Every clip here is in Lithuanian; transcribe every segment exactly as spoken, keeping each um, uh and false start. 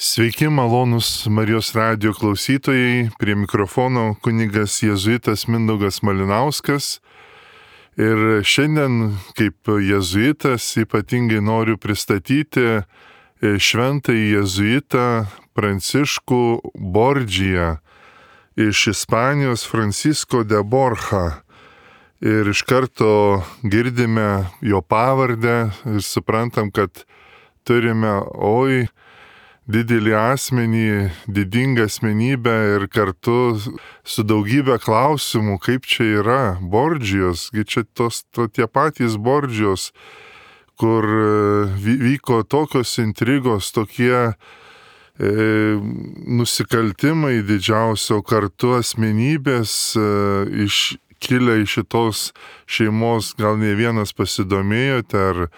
Sveiki, malonūs Marijos radijo klausytojai, prie mikrofono kunigas jėzuitas Mindaugas Malinauskas. Ir šiandien kaip jėzuitas ypatingai noriu pristatyti šventąjį jėzuitą Pranciškų Bordžiją iš Ispanijos, Francisco de Borja. Ir iš karto girdime jo pavardę ir suprantam, kad turime, oi, didelį asmenį, didingą asmenybę ir kartu su daugybė klausimų, kaip čia yra Bordžijos, gi čia tos to, tie patys Bordžijos, kur vyko tokios intrigos, tokie e, nusikaltimai didžiausio, kartu asmenybės e, iš, kilę iš šitos šeimos, gal ne vienas pasidomėjote, ar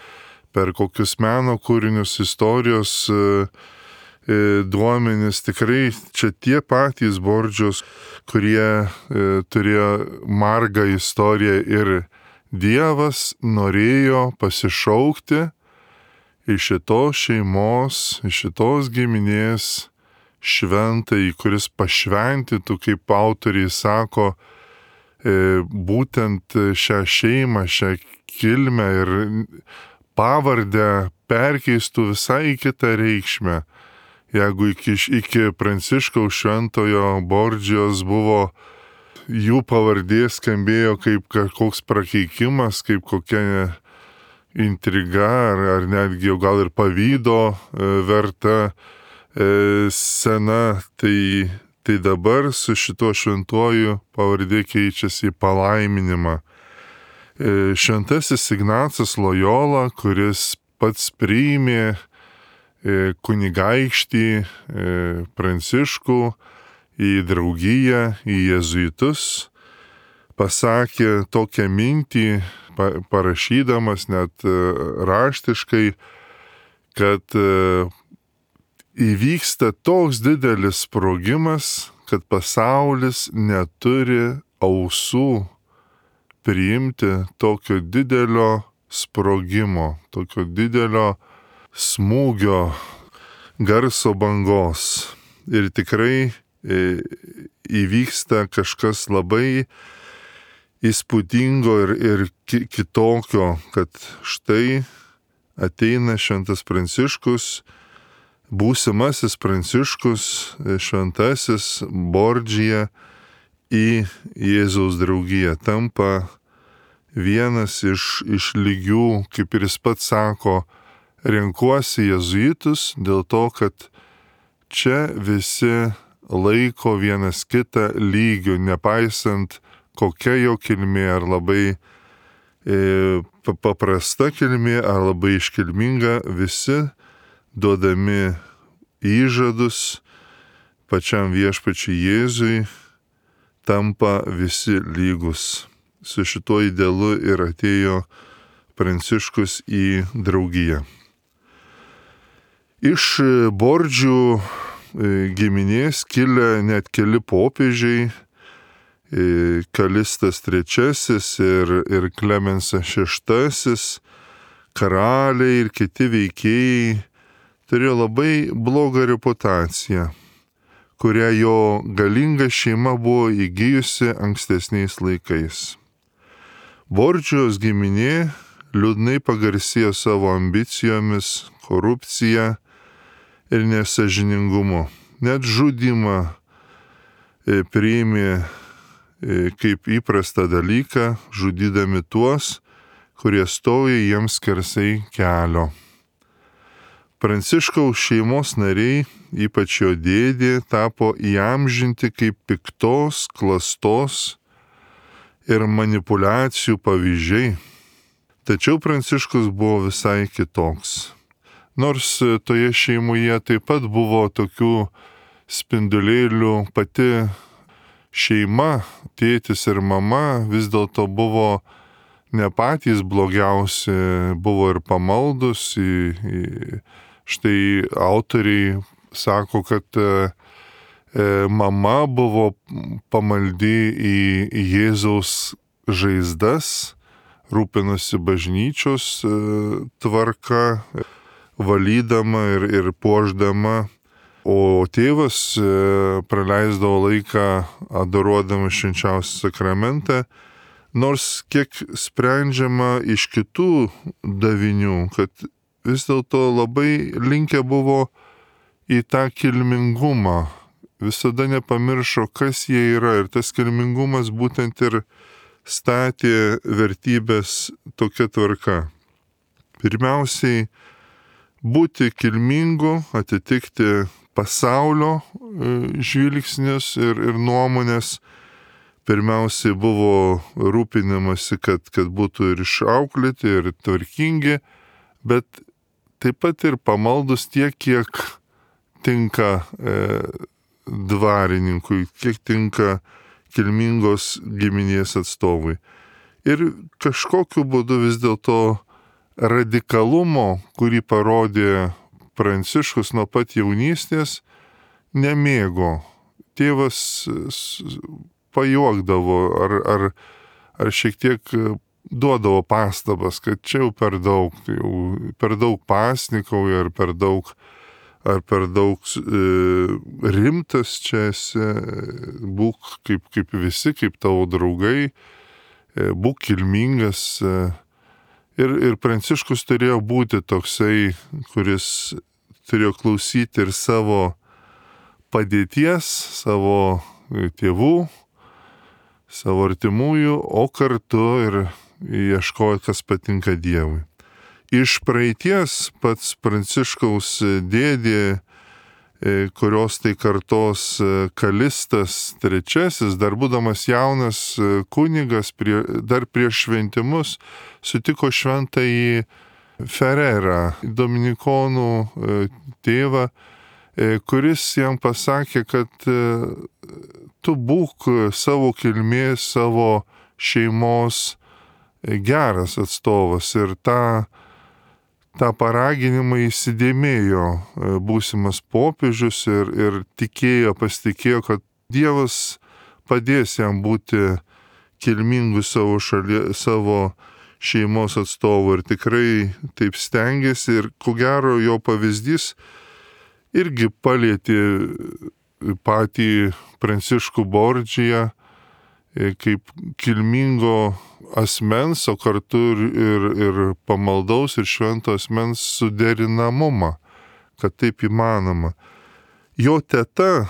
per kokius meno kūrinius, istorijos e, duomenys, tikrai čia tie patys Bordžios, kurie e, turėjo margą istoriją ir Dievas norėjo pasišaukti iš šitos šeimos, iš šitos giminės šventąjį, kuris pašventytų, kaip autoriai sako, e, būtent šią šeimą, šią kilmę ir pavardę perkeistų visai kitą reikšmę. Jeigu iki, iki Pranciškaus šventojo Bordžijos buvo, jų pavardė skambėjo kaip kažkoks prakeikimas, kaip kokia intriga, ar, ar netgi jau gal ir pavydo e, verta e, sena, tai, tai dabar su šituo šventuoju pavardė keičiasi į palaiminimą. E, šventasis Ignacas Lojola, kuris pats priėmė kunigaikštį Pranciškų į draugiją, į jėzuitus, pasakė tokią mintį, parašydamas net raštiškai, kad įvyksta toks didelis sprogimas, kad pasaulis neturi ausų priimti tokio didelio sprogimo, tokio didelio smūgio, garso bangos. Ir tikrai e, įvyksta kažkas labai įspūdingo ir, ir ki, kitokio, kad štai ateina šventas Pranciškus, būsimasis Pranciškus, šventasis Bordžija į Jėzaus draugiją, tampa vienas iš, iš lygių, kaip ir jis pats sako, renkuosi jėzuitus dėl to, kad čia visi laiko vienas kitą lygių, nepaisant kokia jo kilmė, ar labai e, paprasta kilmė, ar labai iškilminga, visi duodami įžadus pačiam viešpačiui Jėzui, tampa visi lygus. Su šituo idealu ir atėjo Pranciškus į draugiją. Iš Bordžių giminės kilę net keli popiežiai, Kalistas trečiasis ir, ir Klemensas šeštasis, karaliai ir kiti veikėjai turėjo labai blogą reputaciją, kurią jo galinga šeima buvo įgijusi ankstesniais laikais. Bordžijos giminė liūdnai pagarsėjo savo ambicijomis, korupcija ir nesąžiningumu. Net žudymą e, priėmė e, kaip įprastą dalyką, žudydami tuos, kurie stoja jiems skersai kelio. Pranciškaus šeimos nariai, ypač jo dėdė, tapo įamžinti kaip piktos, klastos ir manipulacijų pavyzdžiai. Tačiau Pranciškus buvo visai kitoks. Nors toje šeimoje taip pat buvo tokių spindulėlių, pati šeima, tėtis ir mama vis dėlto buvo ne patys blogiausi, buvo ir pamaldus. Į, į, štai autoriai sako, kad e, mama buvo pamaldi į, į Jėzaus žaizdas, rūpinosi bažnyčios e, tvarka, valydama ir, ir puošdama O tėvas praleisdavo laiką adoruodamas švenčiausią sakramentą, nors kiek sprendžiama iš kitų davinių, kad vis dėlto labai linkę buvo į tą kilmingumą, visada nepamiršo, kas jie yra, ir tas kilmingumas būtent ir statė vertybės tokia tvarka. Pirmiausiai, būti kilmingu, atitikti pasaulio žvilgsnius ir, ir nuomonės. Pirmiausiai buvo rūpinamasi, kad, kad būtų ir išauklėti, ir tvarkingi, bet taip pat ir pamaldus tiek, kiek tinka e, dvarininkui, kiek tinka kilmingos giminės atstovui. Ir kažkokiu būdu vis dėlto radikalumo, kurį parodė Pranciškus nuo pat jaunystės, nemėgo. Tėvas pajuokdavo ar, ar, ar šiek tiek duodavo pastabas, kad čia jau per daug, jau per daug pasnikauja, ar per daug, ar per daug e, rimtas čia esi, būk kaip, kaip visi, kaip tavo draugai, e, būk kilmingas. E, Ir, ir Pranciškus turėjo būti toksai, kuris turėjo klausyti ir savo padėties, savo tėvų, savo artimųjų, o kartu ir ieškoti, kas patinka Dievui. Iš praeities pats Pranciškaus dėdė, kurios tai kartos Kalistas trečiasis, dar būdamas jaunas kunigas, prie, dar prieš šventimus, sutiko šventąjį Fererą, dominikonų tėvą, kuris jam pasakė, kad tu būk savo kilmės, savo šeimos geras atstovas, ir tą tą paraginimą įsidėmėjo būsimas popiežius ir, ir tikėjo, pasitikėjo, kad Dievas padės jam būti kilmingu savo, šalie, savo šeimos atstovu, ir tikrai taip stengiasi, ir ko gero jo pavyzdys irgi palietė patį Pranciškų Bordžiją kaip kilmingo asmens, o kartu ir, ir, ir pamaldaus ir švento asmens suderinamumą, kad taip įmanoma. Jo teta,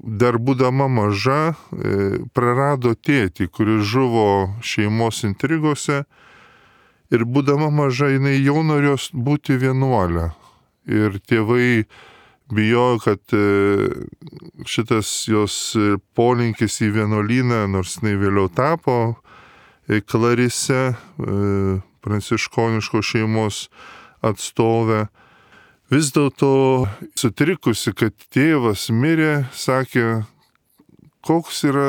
dar būdama maža, prarado tėtį, kuris žuvo šeimos intrigose, ir būdama maža jinai jau norėjo būti vienuolė. Ir tėvai bijojo, kad šitas jos polinkis į vienuolyną, nors jinai vėliau tapo Klarise, pranciškoniškos šeimos atstovė, vis dėlto sutrikusi, kad tėvas mirė, sakė, koks yra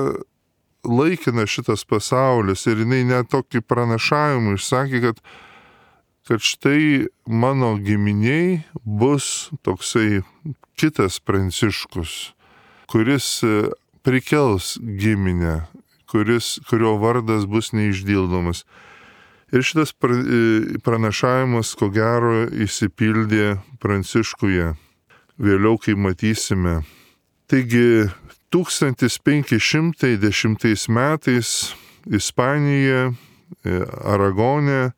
laikinas šitas pasaulis, ir jinai net tokį pranašavimą išsakė, kad, kad štai mano giminiai bus toksai kitas Pranciškus, kuris prikels giminę, kuris, kurio vardas bus neišdildomas. Ir šitas pranašavimas, ko gero, įsipildė Pranciškuje. Vėliau, kai matysime. Taigi, tūkstantis penki šimtai dešimtais metais Ispanijoje, Aragone,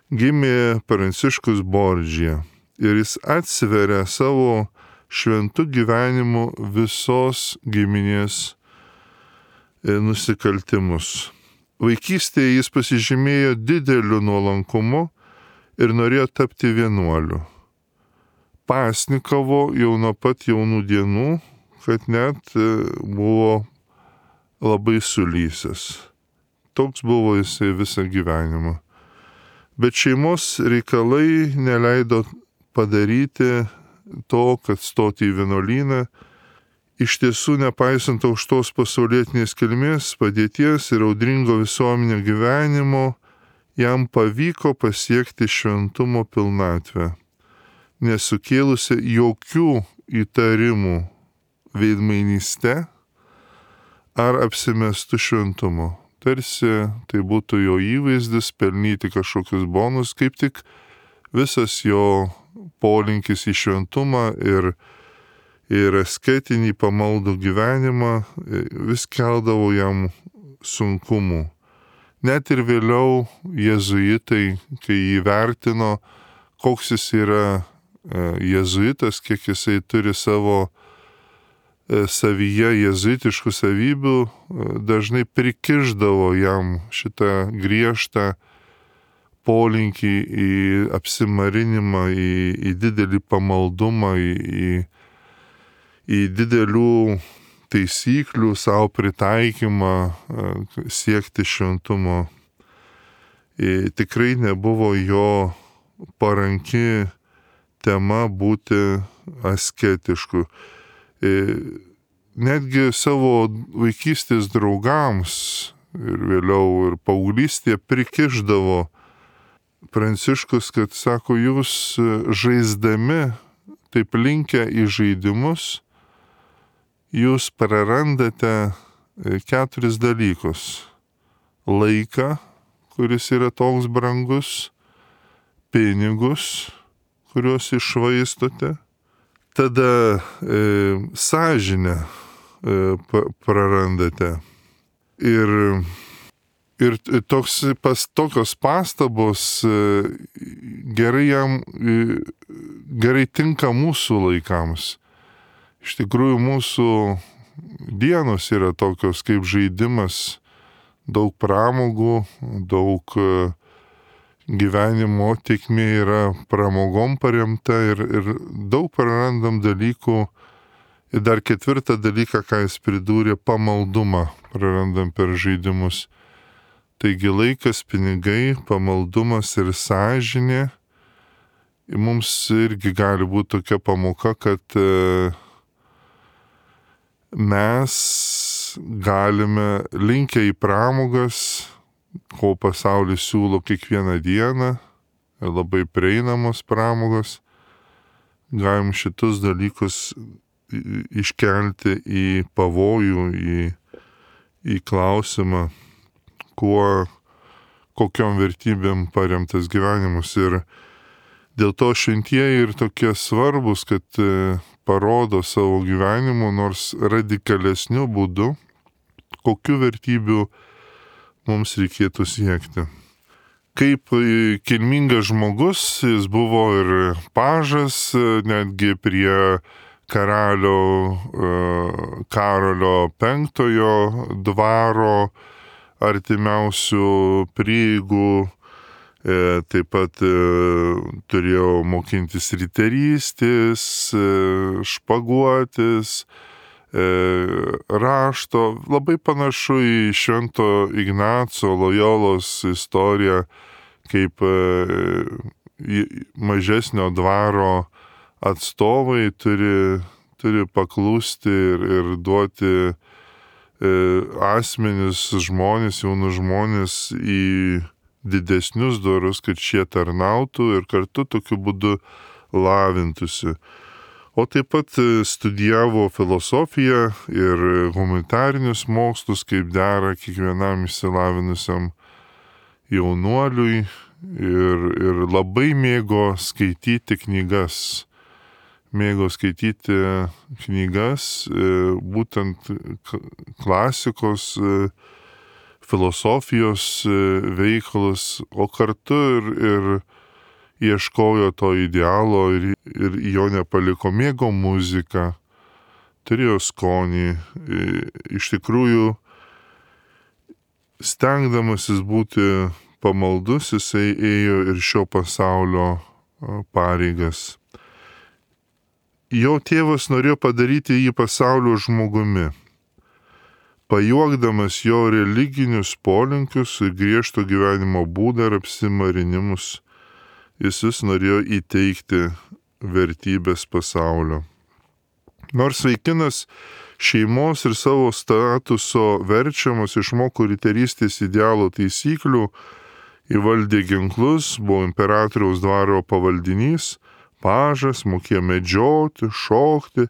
gimė Pranciškus Bordžija. Ir jis atsveria savo šventų gyvenimu visos giminės nusikaltimus. Vaikystėje jis pasižymėjo dideliu nuolankumu ir norėjo tapti vienuoliu. Pasnikavo jau nuo pat jaunų dienų, kad net buvo labai sulysęs. Toks buvo jisai visą gyvenimą. Bet šeimos reikalai neleido padaryti to, kad stoti į vienuolyną. Iš tiesų, nepaisant aukštos pasaulietinės kilmės, padėties ir audringo visuomenio gyvenimo, jam pavyko pasiekti šventumo pilnatvę, nesukėlusi jokių įtarimų veidmainyste ar apsimestų šventumo. Tarsi tai būtų jo įvaizdis, pelnyti kažkokius bonus, kaip tik visas jo polinkis į šventumą ir ir asketinį pamaldų gyvenimą vis keldavo jam sunkumų. Net ir vėliau jėzuitai, kai įvertino, koks jis yra jėzuitas, kiek jisai turi savo savyje jėzuitiškų savybių, dažnai prikišdavo jam šitą griežtą polinkį į apsimarinimą, į, į didelį pamaldumą, į, į, į didelių taisyklių savo pritaikymą, siekti šventumo. Ir tikrai nebuvo jo paranki tema būti asketišku. Ir netgi savo vaikystės draugams ir vėliau ir paauglystėje prikišdavo Pranciškus, kad sako, jūs žaisdami, taip linkę į žaidimus, jūs prarandate keturis dalykus. Laiką, kuris yra toks brangus, pinigus, kuriuos iššvaistote, tada e, sąžinę e, prarandate. Ir, ir toks, pas, tokios pastabos e, gerai jam, e, gerai tinka mūsų laikams. Iš tikrųjų, mūsų dienos yra tokios kaip žaidimas, daug pramogų, daug gyvenimo tėkmė yra pramogom paremta ir, ir daug prarandam dalykų. Ir dar ketvirtą dalyką, ką jis pridūrė, pamaldumą prarandam per žaidimus. Taigi laikas, pinigai, pamaldumas ir sąžinė. Mums irgi gali būti tokia pamoka, kad mes galime linkę į pramogas, ko pasaulis siūlo kiekvieną dieną, labai prieinamos pramogos, galim šitus dalykus iškelti į pavojų, į, į klausimą, kuo, kokiom vertybėm paremtas gyvenimas. Ir dėl to šventieji ir tokie svarbus, kad parodo savo gyvenimu, nors radikalesniu būdu, kokių vertybių mums reikėtų siekti. Kaip kilmingas žmogus, jis buvo ir pažas, netgi prie karalio Karolio penktojo dvaro artimiausių prieigų. Taip pat turėjau mokintis riterystės, špaguotis, rašto. Labai panašu į Švento Ignaco Lojolos istoriją, kaip mažesnio dvaro atstovai turi, turi paklusti ir, ir duoti asmenis žmonės, jaunus žmonės į didesnius dvarus, kad šie tarnautų ir kartu tokiu būdu lavintųsi. O taip pat studijavo filosofiją ir humanitarinius mokslus, kaip dera kiekvienam išsilavinusiam jaunuoliui ir, ir labai mėgo skaityti knygas. Mėgo skaityti knygas, būtent klasikos, filosofijos veikalus, o kartu ir, ir ieškojo to idealo ir, ir jo nepaliko, mėgo muziką, turėjo skonį. Iš tikrųjų, stengdamasis būti pamaldus, jisai ėjo ir šio pasaulio pareigas. Jo tėvas norėjo padaryti jį pasaulio žmogumi. Pajuokdamas jo religinius polinkius ir griežto gyvenimo būdą ir apsimarinimus, jis vis norėjo įteikti vertybės pasaulio. Nors vaikinas šeimos ir savo statuso verčiamas išmoko riterystės idealo taisyklių, įvaldė ginklus, buvo imperatoriaus dvaro pavaldinys, pažas, mokėjo medžioti, šokti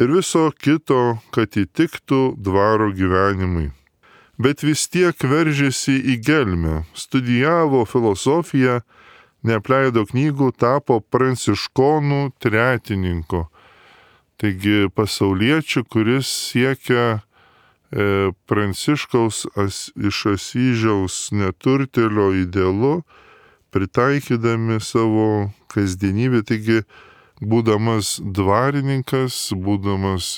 ir viso kito, kad įtiktų dvaro gyvenimui. Bet vis tiek veržėsi į gelmę, studijavo filosofiją, neapleido knygų, tapo pranciškonų tretininku. Taigi pasauliečių, kuris siekia e, Pranciškaus as, iš Asyžiaus neturtėlio idealu, pritaikydami savo kasdienybę. Taigi, būdamas dvarininkas, būdamas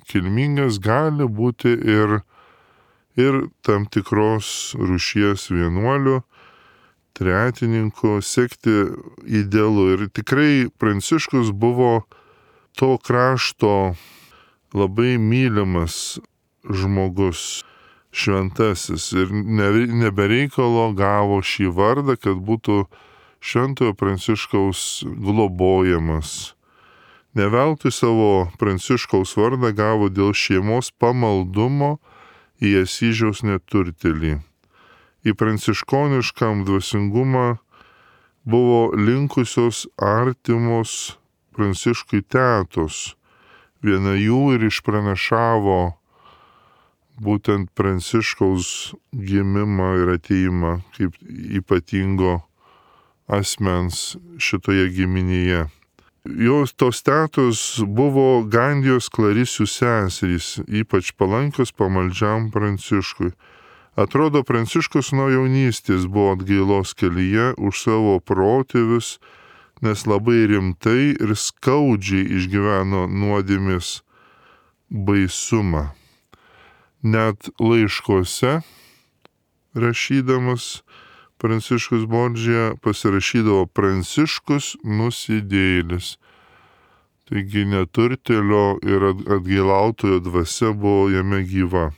kilmingas, gali būti ir, ir tam tikros rūšies vienuolių, tretininku, sekti idealu. Ir tikrai Pranciškus buvo to krašto labai mylimas žmogus, šventasis, ir nebereikalo gavo šį vardą, kad būtų Šventojo Pranciškaus globojamas. Ne veltui savo Pranciškaus vardą gavo dėl šeimos pamaldumo į Asyžiaus neturtėlį. Į pranciškoniškam dvasingumą buvo linkusios artimos Pranciškui tetos. Viena jų ir išpranašavo būtent Pranciškaus gimimą ir ateimą kaip ypatingo asmens šitoje giminėje. Jos tos tetos buvo Gandijos Klarisių seserys, ypač palankios pamaldžiam Pranciškui. Atrodo, Pranciškus nuo jaunystės buvo atgailos kelyje už savo protėvius, nes labai rimtai ir skaudžiai išgyveno nuodėmės baisumą. Net laiškuose rašydamas Pranciškus Bordžija pasirašydavo Pranciškus nusidėjėlis. Taigi neturtėlio ir atgailautojo dvasia buvo jame gyva.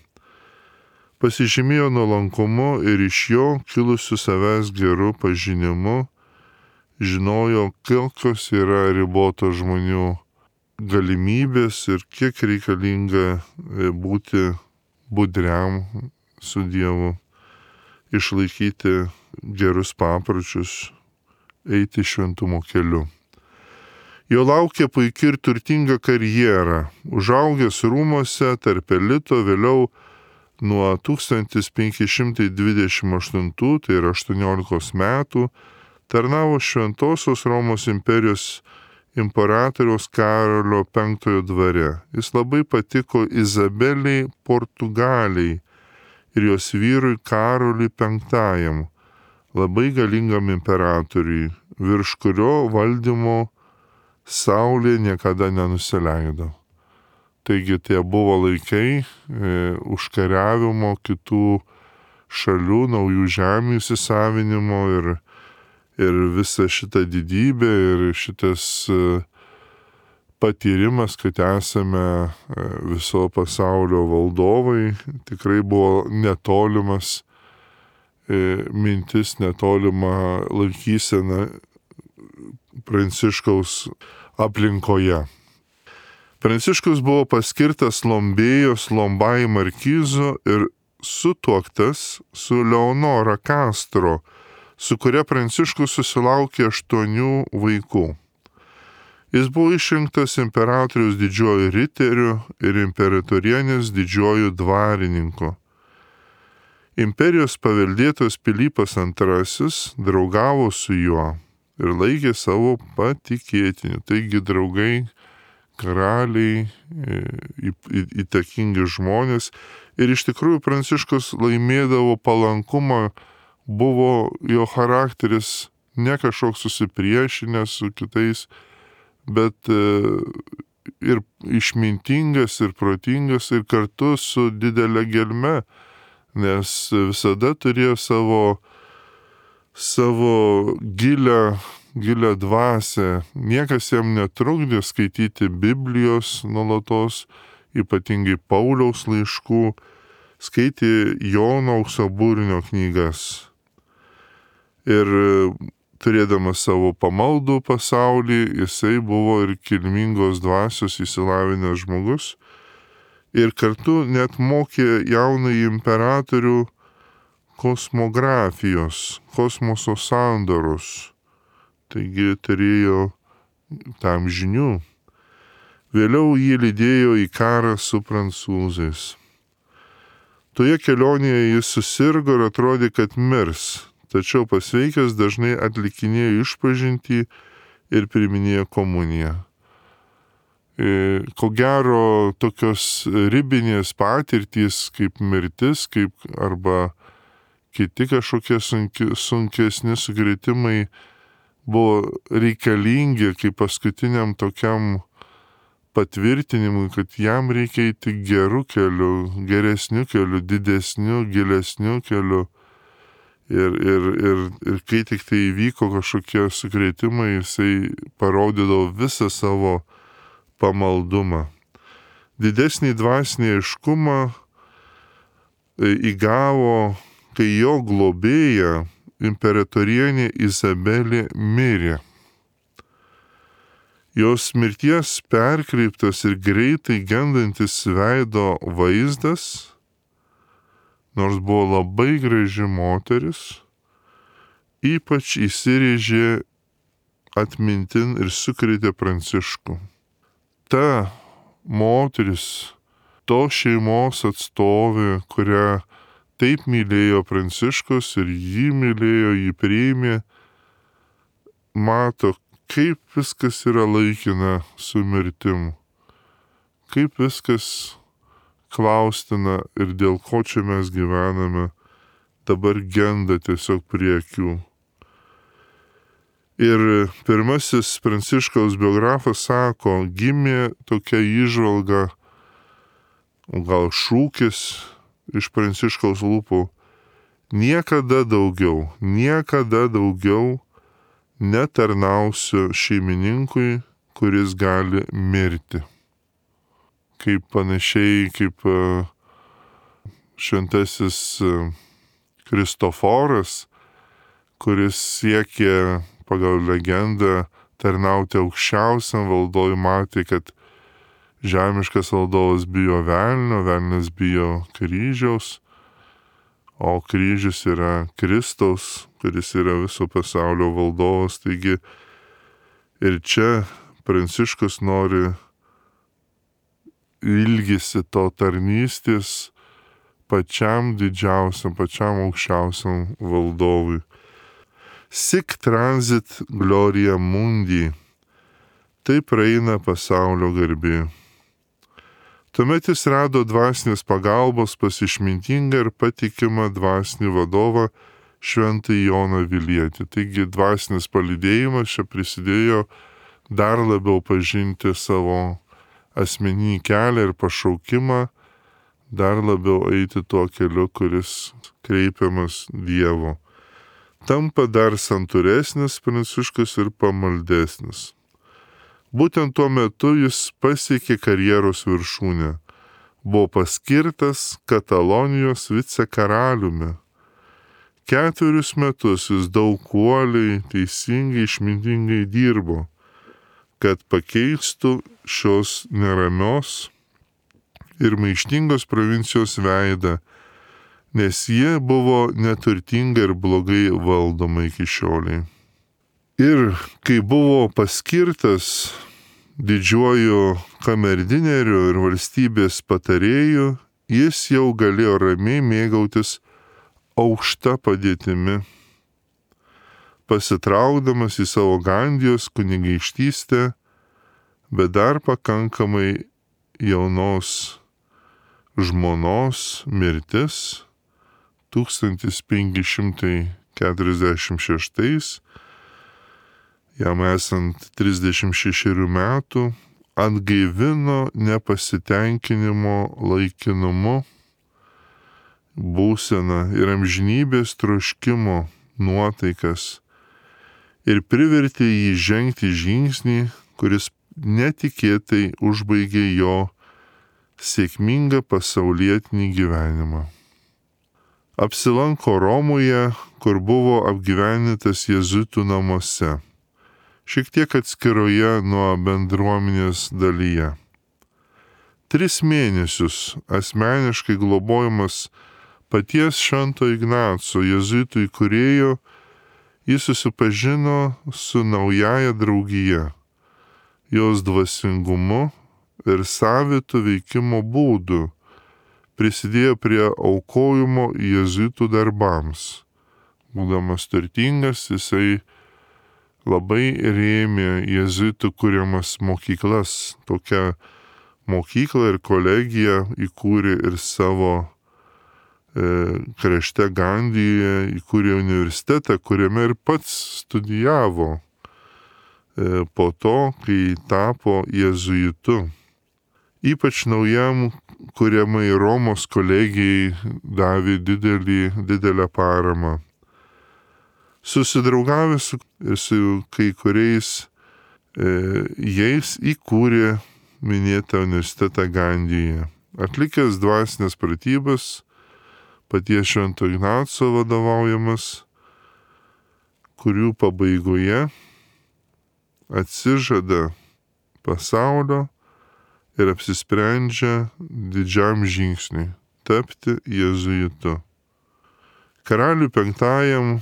Pasižymėjo nuolankumu ir iš jo kilusiu savęs geru pažinimu, žinojo, kokios yra ribotos žmonių galimybės ir kiek reikalinga būti budriam su Dievu, išlaikyti gerus papročius, eiti šventumo keliu. Jo laukia puikia ir turtinga karjera. Užaugęs rūmose tarp elito, vėliau nuo tūkstantis penki šimtai dvidešimt aštuntų, tai yra aštuoniolikos metų, tarnavo Šventosios Romos imperijos imperatoriaus Karolio penktojo dvare. Jis labai patiko Izabeliai Portugaliai ir jos vyrui Karoliui penktajam, labai galingam imperatoriui, virš kurio valdymo saulė niekada nenusileido. Taigi tie buvo laikai e, užkariavimo kitų šalių, naujų žemių įsisavinimo ir, ir visa šita didybė ir šitas e, patyrimas, kad esame e, viso pasaulio valdovai, tikrai buvo netolimas e, mintis, netolima laikysena Pranciškaus aplinkoje. Pranciškus buvo paskirtas Lombėjos Lombai markizu ir sutuoktas su Leonora Castro, su kuria Pranciškus susilaukė aštuonių vaikų. Jis buvo išrinktas imperatoriaus didžiuoju riteriu ir imperatorienės didžiuoju dvarininku. Imperijos paveldėtojas Pilypas antrasis draugavo su juo ir laikė savo patikėtiniu. Taigi draugai, karaliai, įtakingi žmonės. Ir iš tikrųjų Pranciškus laimėdavo palankumą, buvo jo charakteris ne kažkoks susipriešinęs su kitais, bet ir išmintingas, ir protingas, ir kartu su didelė gelme, nes visada turėjo savo savo gilę, gilę dvasią. Niekas jam netrukdė skaityti Biblijos nuolatos, ypatingai Pauliaus laiškų, skaitė Jono Auksaburnio knygas. Ir turėdamas savo pamaldų pasaulį, jisai buvo ir kilmingos dvasios įsilavinęs žmogus. Ir kartu net mokė jaunąjį imperatorių kosmografijos, kosmoso sandaros. Taigi turėjo tam žinių. Vėliau jį lydėjo į karą su prancūzais. Toje kelionėje jis susirgo ir atrodė, kad mirs, tačiau pasveikęs dažnai atlikinėjo išpažintį ir priiminėjo komuniją. Ko gero, tokios ribinės patirtys kaip mirtis, kaip arba kiti kažkokie sunki, sunkesni sukrėtimai buvo reikalingi kaip paskutiniam tokiam patvirtinimui, kad jam reikia eiti gerų kelių, geresnių kelių, didesnių, gilesnių kelių. Ir, ir, ir, ir kai tik tai įvyko kažkokie sukrėtimai, jisai parodydavo visą savo pamaldumą. Didesnį dvasinį aiškumą įgavo, kai jo globėja imperatorienė Izabelė mirė. Jos mirties perkreiptas ir greitai gendantis veido vaizdas, nors buvo labai graži moteris, ypač įsirėžė atmintin ir sukrėtė Pranciškų. Ta moteris, to šeimos atstovė, kurią taip mylėjo Pranciškus ir jį mylėjo, jį priėmė, mato, kaip viskas yra laikina su mirtim, kaip viskas klaustina ir dėl ko čia mes gyvename, dabar genda tiesiog prie akių. Ir pirmasis Pranciškaus biografas sako, gimė tokia įžvalga, gal šūkis iš Pranciškaus lūpų, niekada daugiau, niekada daugiau netarnausiu šeimininkui, kuris gali mirti. Kaip panašiai kaip šventasis Kristoforas, kuris siekė pagal legendą tarnauti aukščiausiam valdovui, matė, kad žemiškas valdovas bijo velnio, velnias bijo kryžiaus, o kryžius yra Kristaus, kuris yra viso pasaulio valdovas. Taigi ir čia Pranciškus nori ilgisi to tarnystės pačiam didžiausiam, pačiam aukščiausiam valdovui. Sic transit gloria mundi. Taip praeina pasaulio garbė. Tuomet jis rado dvasinės pagalbos pas išmintingą ir patikimą dvasinį vadovą Šventąjį Joną Vilietį. Taigi dvasinis palydėjimas čia prisidėjo dar labiau pažinti savo asmeninį kelią ir pašaukimą, dar labiau eiti tuo keliu, kuris kreipiamas Dievo. Tampa dar santūresnis Pranciškus ir pamaldesnis. Būtent tuo metu jis pasiekė karjeros viršūnę. Buvo paskirtas Katalonijos vicekaraliumi. Ketverius metus jis daug uoliai, teisingai, išmintingai dirbo, kad pakeistų šios neramios ir maištingos provincijos veidą, nes jie buvo neturtinga ir blogai valdoma iki šioliai. Ir kai buvo paskirtas didžiuoju kamerdineriu ir valstybės patarėju, jis jau galėjo ramiai mėgautis aukšta padėtimi. Pasitraukdamas į savo Gandijos kunigaikštystę, bet dar pakankamai jaunos žmonos mirtis tūkstantis penki šimtai keturiasdešimt šeštais, jam esant trisdešimt šešerių metų, atgaivino nepasitenkinimo laikinumu būseną ir amžinybės troškimo nuotaikas ir privertė jį žengti žingsnį, kuris netikėtai užbaigė jo sėkmingą pasaulietinį gyvenimą. Apsilanko Romoje, kur buvo apgyvendintas jėzuitų namuose, šiek tiek atskiroje nuo bendruomenės dalyje. Tris mėnesius asmeniškai globojamas paties Švento Ignaco jėzuitų įkūrėjo, jis susipažino su naująja draugija, jos dvasingumu ir savitu veikimo būdu, prisidėjo prie aukojimo jėzuitų darbams. Būdamas turtingas, jisai labai rėmė jėzuitų kuriamas mokyklas. Tokią mokyklą ir kolegiją įkūrė ir savo e, krašte Gandijoje, įkūrė universitetą, kuriame ir pats studijavo e, po to, kai tapo jėzuitu. Ypač naujam kuriamai Romos kolegijai davė didelį, didelę paramą. Susidraugavęs su, su kai kuriais e, jais įkūrė minėtą universitetą Gandijoje. Atlikęs dvasinės pratybas, paties Švento Ignaco vadovaujamas, kurių pabaigoje atsižada pasaulio ir apsisprendžia didžiam žingsniui – tapti jėzuitu. Karaliui penktajam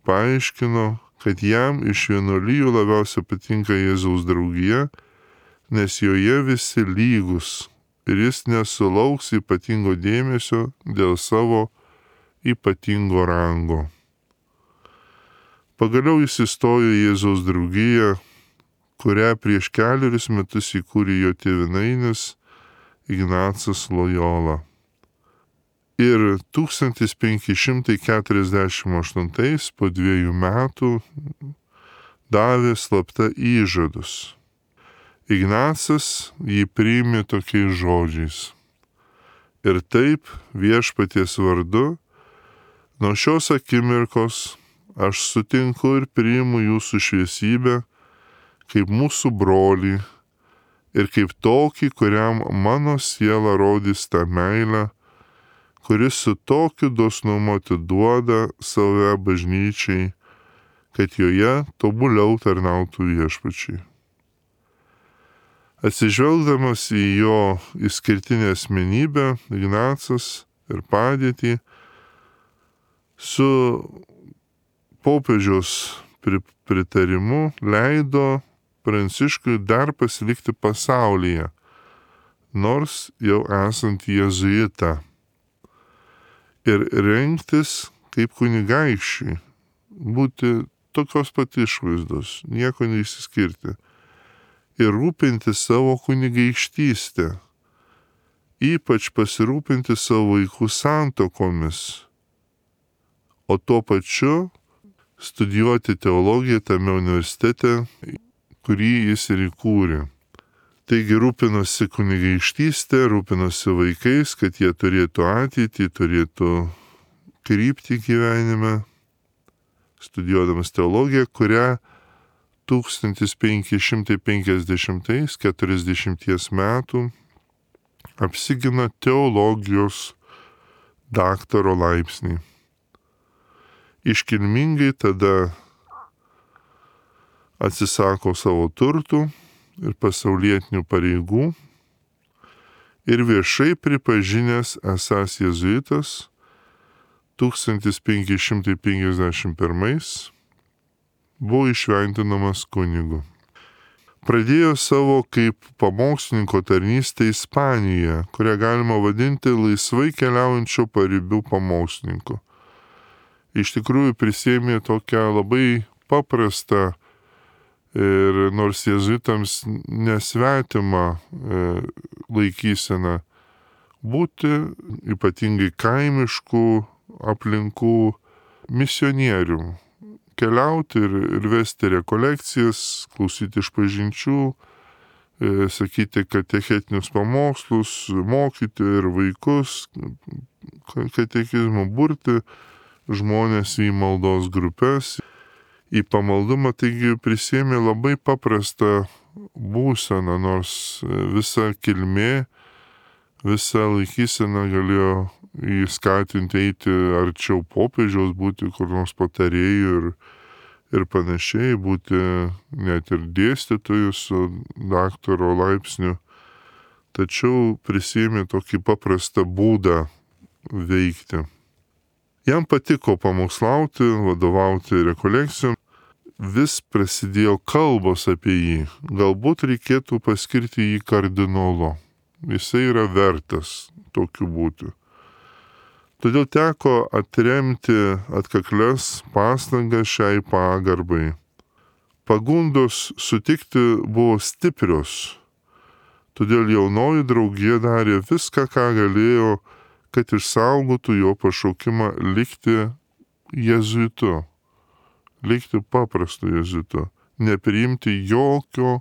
paaiškino, kad jam iš vienuolijų labiausiai patinka Jėzaus draugija, nes joje visi lygus ir jis nesulauks ypatingo dėmesio dėl savo ypatingo rango. Pagaliau jis įstojo į Jėzaus draugiją, kurią prieš kelerius metus įkūrė jo tėvynainis Ignacas Lojola. Ir tūkstantis penki šimtai keturiasdešimt aštuntais po dviejų metų davė slapta įžadus. Ignacas jį priėmė tokiais žodžiais. Ir taip viešpaties vardu, nuo šios akimirkos aš sutinku ir priimu jūsų šviesybę kaip mūsų brolį ir kaip tokį, kuriam mano siela rodys tą meilę, kuris su tokiu dosnumu atiduoda save bažnyčiai, kad joje tobuliau tarnautų viešpačiai. Atsižvelgdamas į jo išskirtinę asmenybę, Ignacas ir padėtį, su popiežiaus pritarimu leido Pranciškui dar pasilikti pasaulyje, nors jau esant jėzuitą, ir rengtis kaip kunigaikščiai, būti tokios pat išvaizdos, nieko neišsiskirti, ir rūpinti savo kunigaikštystę, ypač pasirūpinti savo vaikų santuokomis, o tuo pačiu studijuoti teologiją tame universitete, kurį jis ir įkūrė. Taigi rūpinosi kunigaikštystė, rūpinosi vaikais, kad jie turėtų ateitį, turėtų kryptį gyvenime, studijuodamas teologiją, kurią tūkstantis penki šimtai penkiasdešimtais, keturiasdešimties metų apsigina teologijos daktaro laipsnį. Iškilmingai tada atsisako savo turtų ir pasaulietinių pareigų ir viešai pripažinęs esąs jėzuitas tūkstantis penki šimtai penkiasdešimt pirmais buvo išventinamas kunigu. Pradėjo savo kaip pamokslininko tarnystę Ispanijoje, kurią galima vadinti laisvai keliaujančio paribių pamokslininku. Iš tikrųjų prisėmė tokią labai paprastą ir nors jėzuitams nesvetimą e, laikyseną būti ypatingai kaimiškų aplinkų misionierių, keliauti ir, ir vesti rekolekcijas, klausyti išpažinčių, e, sakyti katechetinius pamokslus, mokyti ir vaikus, katekizmą, burti žmonės į maldos grupės, į pamaldumą, taigi prisėmė labai paprastą būseną, nors visa kilmė, visa laikysena galėjo įskatinti eiti arčiau popiežiaus, būti kur nors patarėjų ir, ir panašiai, būti net ir dėstytojų su daktaro laipsniu. Tačiau prisėmė tokį paprastą būdą veikti. Jam patiko pamokslauti, vadovauti rekolekcijom. Vis prasidėjo kalbos apie jį. Galbūt reikėtų paskirti jį kardinolu. Jisai yra vertas tokiu būti. Todėl teko atremti atkaklias pastangas šiai pagarbai. Pagundos sutikti buvo stiprios. Todėl jaunoji draugija darė viską, ką galėjo, kad išsaugotų jo pašaukimą likti jėzuitu, likti paprastu jėzuitu, nepriimti jokio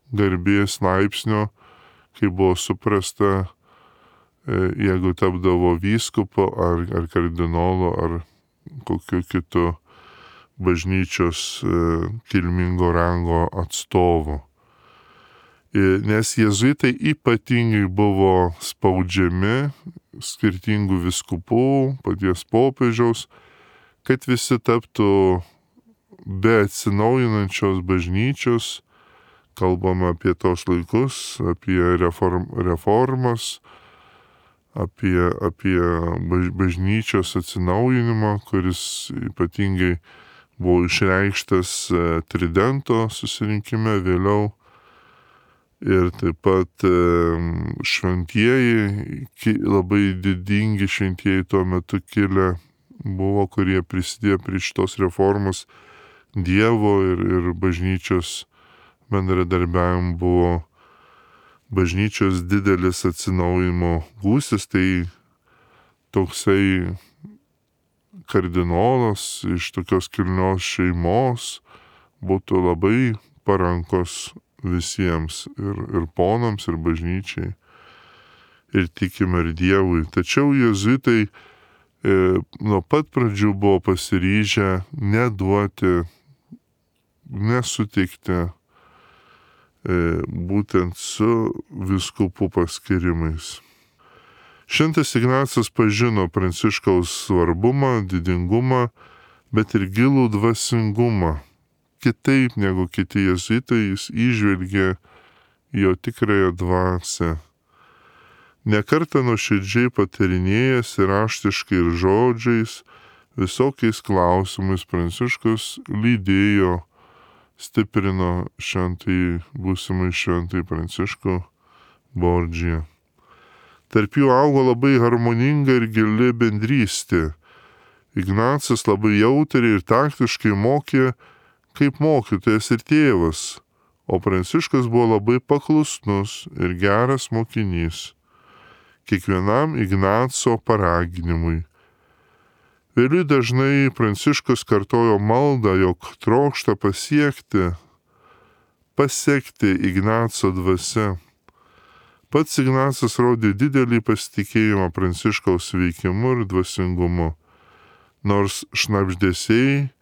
garbės laipsnio, kai buvo suprasta, jeigu tapdavo vyskupo ar, ar kardinolo ar kokiu kitu bažnyčios kilmingo rango atstovu. Nes jėzuitai ypatingai buvo spaudžiami skirtingų vyskupų, paties popiežiaus, kad visi taptų be atsinaujinančios bažnyčios. Kalbama apie tos laikus, apie reform, reformas, apie, apie bažnyčios atsinaujinimą, kuris ypatingai buvo išreikštas Tridento susirinkime vėliau. Ir taip pat šventieji, labai didingi šventieji tuo metu kilę buvo, kurie prisidėjo prie šitos reformos Dievo ir, ir bažnyčios bendradarbiavimo, buvo bažnyčios didelis atsinaujinimo gūsis. Tai toksai kardinolas iš tokios kilnios šeimos būtų labai parankos visiems, ir, ir ponams, ir bažnyčiai, ir tikim, ir Dievui. Tačiau jėzuitai e, nuo pat pradžių buvo pasiryžę neduoti, nesutikti e, būtent su vyskupų paskirimais. Šventas Ignacas pažino Pranciškaus svarbumą, didingumą, bet ir gilų dvasingumą. Kitaip negu kiti jėzuitai, jis įžvelgė jo tikrąją dvasią. Nekartą nuoširdžiai patarinėjęs ir raštiškai ir žodžiais, visokiais klausimais Pranciškus lydėjo, stiprino šventai, būsimai šventai Pranciškų Bordžiją. Tarp jų augo labai harmoninga ir gili bendrystė. Ignacas labai jautriai ir taktiškai mokė, kaip mokytojas ir tėvas, o Pranciškus buvo labai paklusnus ir geras mokinys kiekvienam Ignaco paraginimui. Vėliau dažnai Pranciškus kartojo maldą, jog trokšta pasiekti, pasiekti Ignaco dvasia. Pats Ignacas rodė didelį pasitikėjimą Pranciškaus veikimu ir dvasingumu, nors šnabždesiai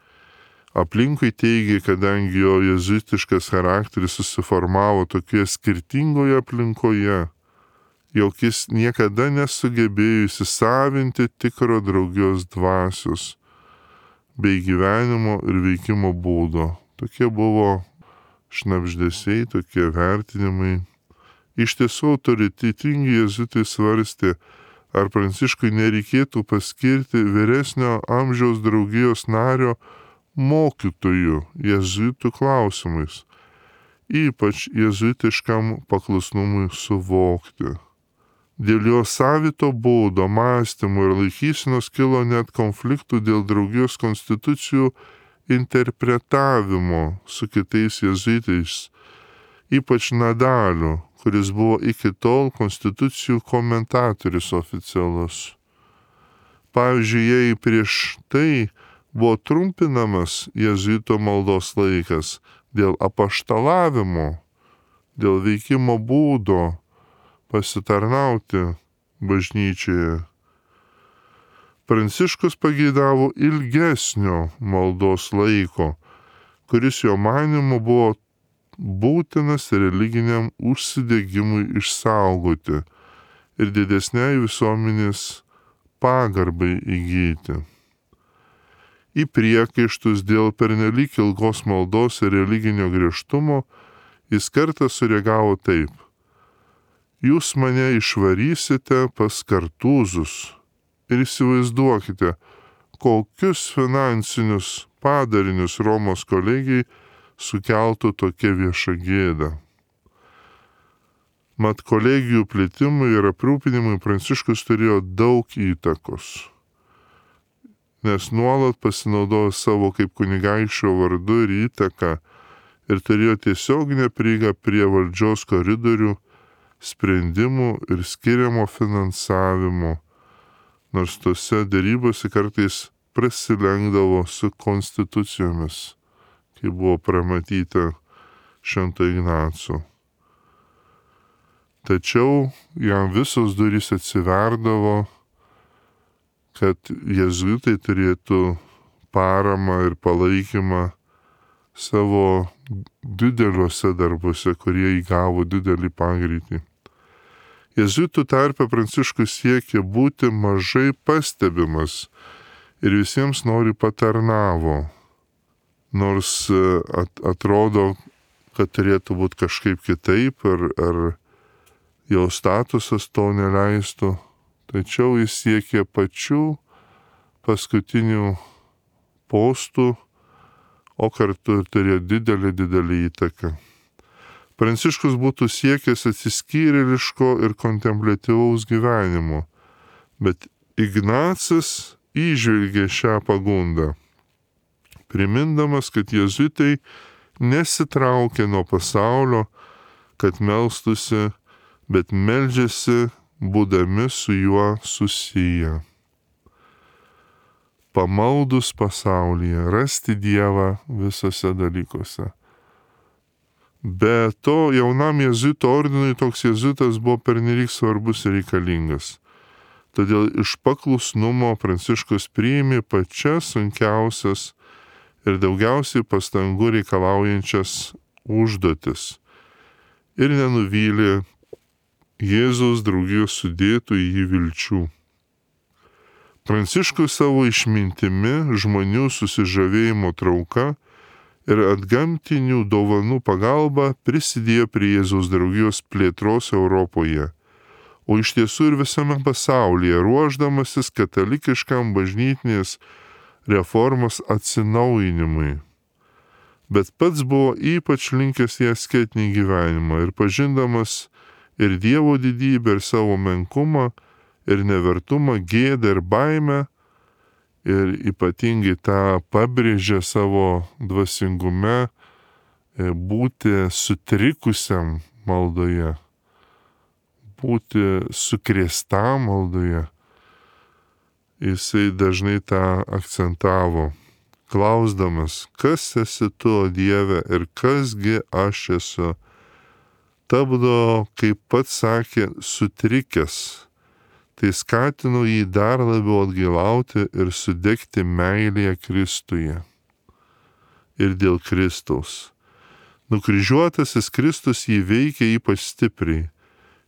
aplinkui teigė, kadangi jo jėzuitiškas charakteris susiformavo tokioje skirtingoje aplinkoje, jog jis niekada nesugebėjo įsisavinti tikro draugijos dvasios bei gyvenimo ir veikimo būdo. Tokie buvo šnabždesiai, tokie vertinimai. Iš tiesų autoritetingi jėzuitai svarstė, ar Pranciškui nereikėtų paskirti vyresnio amžiaus draugijos nario mokytojų jėzuitų klausimais, ypač jėzuitiškam paklusnumui suvokti. Dėl jo savito būdo, mąstymo ir laikysenos kilo net konfliktų dėl draugijos konstitucijų interpretavimo su kitais jėzuitais, ypač Nadaliu, kuris buvo iki tol konstitucijų komentatorius oficialus. Pavyzdžiui, jei prieš tai buvo trumpinamas jėzuito maldos laikas dėl apaštalavimo, dėl veikimo būdo pasitarnauti bažnyčioje, Pranciškus pageidavo ilgesnio maldos laiko, kuris jo manymu buvo būtinas religiniam užsidegimui išsaugoti ir didesniai visuomenės pagarbai įgyti. Į priekaištus dėl pernelyg ilgos maldos ir religinio griežtumo jis kartą sureagavo taip: jūs mane išvarysite pas kartūzus ir įsivaizduokite, kokius finansinius padarinius Romos kolegijai sukeltų tokia vieša gėda. Mat kolegijų plėtimui ir aprūpinimui Pranciškus turėjo daug įtakos, nes nuolat pasinaudojo savo kaip kunigaikščio vardu ir įtaką ir turėjo tiesioginę prieigą prie valdžios koridorių, sprendimų ir skiriamo finansavimo, nors tose dėrybose kartais prasilenkdavo su konstitucijomis, kai buvo pramatyta Švento Ignaco. Tačiau jam visos durys atsiverdavo, kad jėzuitai turėtų paramą ir palaikymą savo dideliuose darbuose, kurie įgavo didelį pagreitį. Jėzuitų tarpe Pranciškus siekė būti mažai pastebimas ir visiems nori patarnavo, nors atrodo, kad turėtų būti kažkaip kitaip ar, ar jo statusas to neleistų, tačiau jis siekė pačių paskutinių postų, o kartu turėjo didelį, didelį įtaką. Pranciškus būtų siekęs atsiskyrėliško ir kontempliatyvaus gyvenimo, bet Ignacas įžvelgė šią pagundą, primindamas, kad jėzuitai nesitraukė nuo pasaulio, kad melstųsi, bet meldžiasi būdami su juo susiję. Pamaldus pasaulyje, rasti Dievą visose dalykuose. Be to, jaunam jėzuito ordinui toks jėzuitas buvo pernelyg svarbus ir reikalingas. Todėl iš paklusnumo Pranciškus priėmė pačias sunkiausias ir daugiausiai pastangų reikalaujančias užduotis ir nenuvylė Jėzaus draugijos sudėtų į jį vilčių. Pranciškus savo išmintimi, žmonių susižavėjimo trauka ir atgamtinių dovanų pagalba prisidėjo prie Jėzaus draugijos plėtros Europoje, o iš tiesų ir visame pasaulyje, ruošdamasis katalikiškam bažnytinės reformos atsinaujinimui. Bet pats buvo ypač linkęs į asketinį gyvenimą ir pažindamas ir Dievo didybę, ir savo menkumą, ir nevertumą, gėdą ir baimę, ir ypatingai tą pabrėžė savo dvasingume būti sutrikusiam maldoje, būti sukrėstam maldoje. Jisai dažnai tą akcentavo, klausdamas, kas esi tu, o Dieve, ir kasgi aš esu. Tapdavo, kaip pats sakė, sutrikęs. Tai skatino jį dar labiau atgailauti ir sudegti meilėje Kristuje. Ir dėl Kristaus. Nukryžiuotasis Kristus jį veikia ypač stipriai.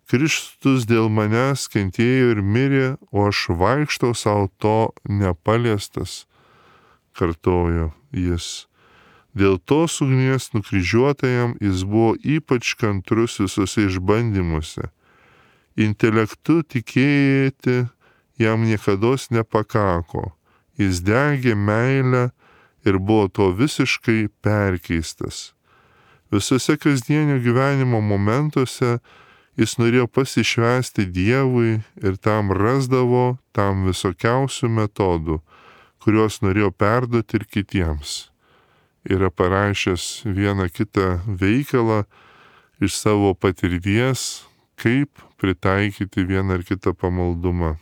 Kristus dėl manęs kentėjo ir mirė, o aš vaikštau savo to nepaliestas, kartojo jis. Dėl tos ugnies nukryžiuotajam jis buvo ypač kantrus visose išbandymuose. Intelektu tikėti jam niekados nepakako. Jis degė meilę ir buvo to visiškai perkeistas. Visose kasdienio gyvenimo momentuose jis norėjo pasišvęsti Dievui ir tam rasdavo tam visokiausių metodų, kuriuos norėjo perduoti ir kitiems. Yra parašęs vieną kitą veikalą iš savo patirties, kaip pritaikyti vieną ar kitą pamaldumą.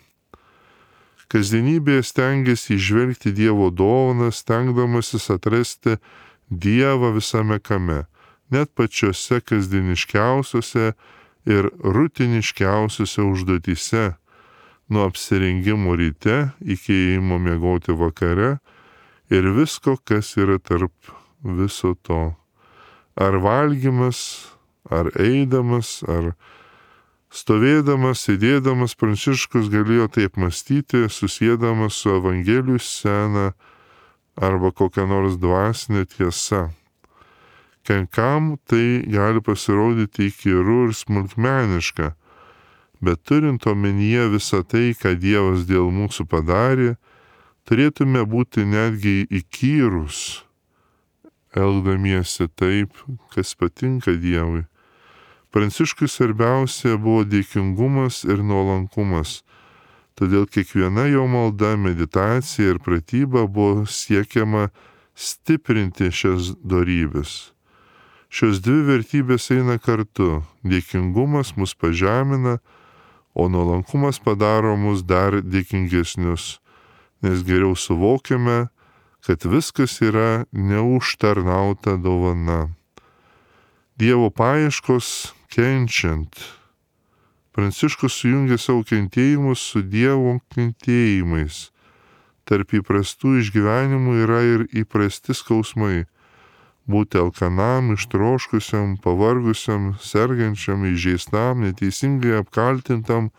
Kasdienybėje stengiasi įžvelgti Dievo dovaną, stengdamasis atrasti Dievą visame kame, net pačiose kasdieniškiausiose ir rutiniškiausiose užduotyse, nuo apsirengimo ryte iki ėjimo miegoti vakare ir visko, kas yra tarp viso to. Ar valgymas, ar eidamas, ar stovėdamas, sėdėdamas, Pranciškus galėjo taip mąstyti, susėdamas su Evangelijų scena arba kokia nors dvasinė tiesa. Kenkam tai gali pasirodyti įkyru ir smulkmeniška, bet turint omenyje visą tai, ką Dievas dėl mūsų padarė, turėtume būti netgi įkyrus, elgdamiesi taip, kas patinka Dievui. Pranciškui svarbiausia buvo dėkingumas ir nuolankumas. Todėl kiekviena jo malda, meditacija ir pratyba buvo siekiama stiprinti šias dorybes. Šios dvi vertybės eina kartu. Dėkingumas mus pažemina, o nuolankumas padaro mus dar dėkingesnius, nes geriau suvokiame, kad viskas yra neužtarnauta dovana. Dievo paieškos kenčiant. Pranciškus sujungė savo kentėjimus su Dievo kentėjimais. Tarp įprastų išgyvenimų yra ir įprasti skausmai. Būti alkanam, ištroškusiam, pavargusiam, sergančiam, įžeistam, neteisingai apkaltintam,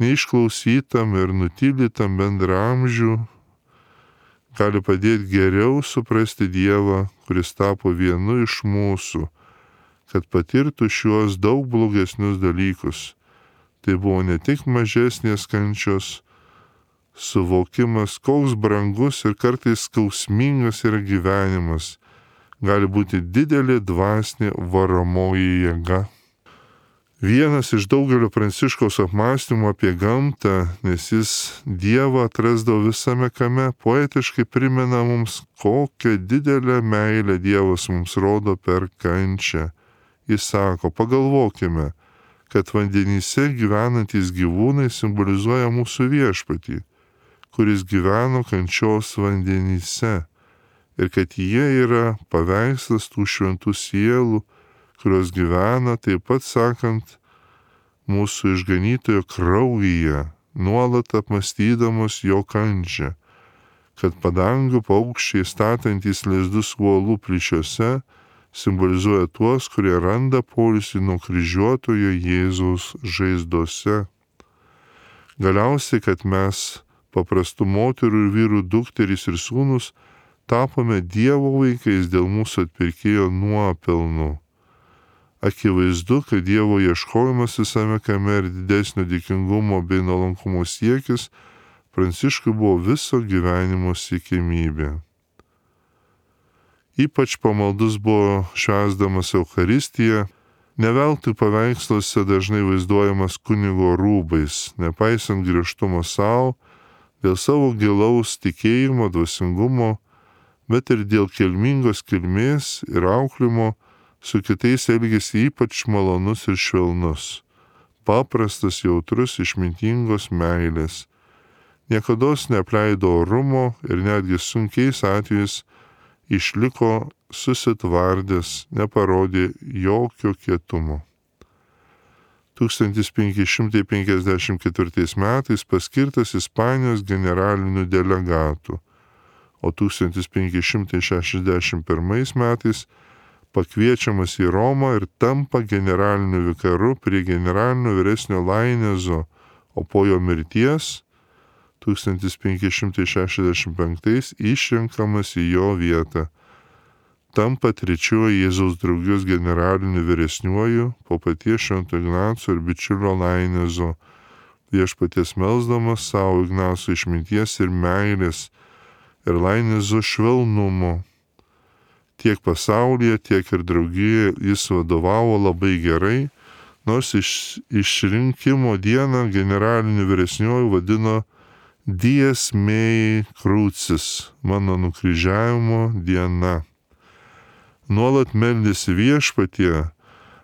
neišklausytam ir nutylytam bendraamžių gali padėti geriau suprasti Dievą, kuris tapo vienu iš mūsų, kad patirtų šiuos daug blogesnius dalykus. Tai buvo ne tik mažesnės kančios suvokimas, koks brangus ir kartais skausmingas yra gyvenimas. Gali būti didelė dvasinė varomoji jėga. Vienas iš daugelio Pranciškaus apmąstymų apie gamtą, nes jis Dievą atrasdavo visame kame, poetiškai primena mums, kokią didelę meilę Dievas mums rodo per kančią. Jis sako, pagalvokime, kad vandenyse gyvenantys gyvūnai simbolizuoja mūsų viešpatį, kuris gyveno kančios vandenyse. Ir kad jie yra paveikslas tų šventų sielų, kurios gyvena, taip pat sakant, mūsų išganytojo kraujyje, nuolat apmąstydamos jo kančią, kad padangių paukščiai statantys lizdus uolų plyšiuose simbolizuoja tuos, kurie randa poilsį nuo kryžiuotojo Jėzaus žaizdose. Galiausiai, kad mes, paprastų moterų ir vyrų dukterys ir sūnus, tapome Dievo vaikais dėl mūsų atpirkėjo nuopelnų. Akivaizdu, kad Dievo ieškojimas visame kame ir didesnio dėkingumo bei nuolankumo siekis Pranciškui buvo viso gyvenimo siekimybė. Ypač pamaldus buvo švęsdamas Eucharistiją, ne veltui paveiksluose dažnai vaizduojamas kunigo rūbais, nepaisant griežtumo savo, dėl savo gilaus tikėjimo, dvasingumo, bet ir dėl kilmingos kilmės ir auklimo su kitais elgėsi ypač malonus ir švelnus, paprastas, jautrus, išmintingos meilės. Niekados neapleido orumo ir netgi sunkiais atvejais išliko susitvardęs, neparodė jokio kietumo. tūkstantis penki šimtai penkiasdešimt ketvirtais metais paskirtas Ispanijos generaliniu delegatu, o tūkstantis penki šimtai šešiasdešimt pirmais metais pakviečiamas į Romą ir tampa generaliniu vikaru prie generalinio vyresnio Lainezo, o po jo mirties tūkstantis penki šimtai šešiasdešimt penktais išrenkamas į jo vietą. Tampa trečiuoju Jėzaus draugijos generaliniu vyresniuoju po paties Švento Ignaco ir bičiulio Lainezo, viešpaties melsdamas savo Ignaco išminties ir meilės ir Lainezo švelnumo. Tiek pasaulyje, tiek ir draugijoje jis vadovavo labai gerai, nors iš, išrinkimo dieną generaliniu vyresniuoju vadino Dies mei crucis, mano nukryžiavimo diena. Nuolat meldėsi viešpatie,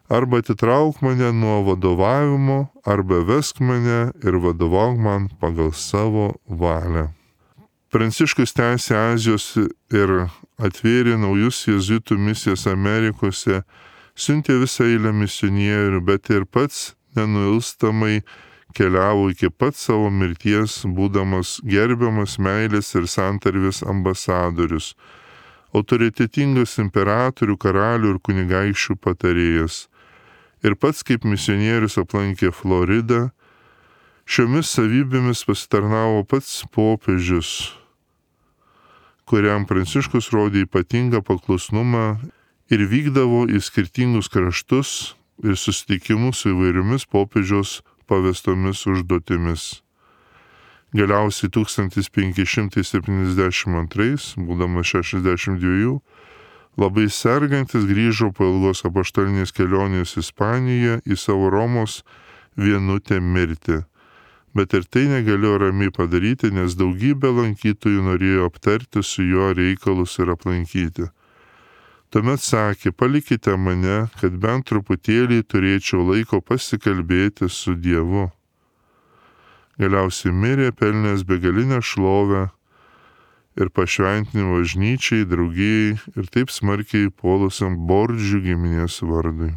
arba atitrauk mane nuo vadovavimo, arba vesk mane ir vadovauk man pagal savo valią. Pranciškus tęsė Azijos ir atvėrė naujus jėzuitų misijas Amerikose, siuntė visą eilę misionierių, bet ir pats nenuilstamai keliavo iki pat savo mirties, būdamas gerbiamas meilės ir santarvės ambasadorius, autoritetingas imperatorių, karalių ir kunigaikščių patarėjas. Ir pats kaip misionierius aplankė Floridą, šiomis savybėmis pasitarnavo pats popiežius, kuriam Pranciškus rodė ypatingą paklusnumą ir vykdavo į skirtingus kraštus ir susitikimus su įvairiomis popiežiaus pavestomis užduotimis. Galiausiai tūkstantis penki šimtai septyniasdešimt antrais, būdamas šešiasdešimt dviejų, Labai sergantis grįžo po ilgos apaštalinės kelionės Ispaniją į savo Romos vienutę mirtį. Bet ir tai negalėjo ramiai padaryti, nes daugybė lankytojų norėjo aptarti su juo reikalus ir aplankyti. Tuomet sakė, palikite mane, kad bent truputėlį turėčiau laiko pasikalbėti su Dievu. Galiausiai mirė pelnęs begalinę šlovę ir pašventinimą bažnyčiai, draugijai ir taip smarkiai puolusiam Bordžių giminės vardui.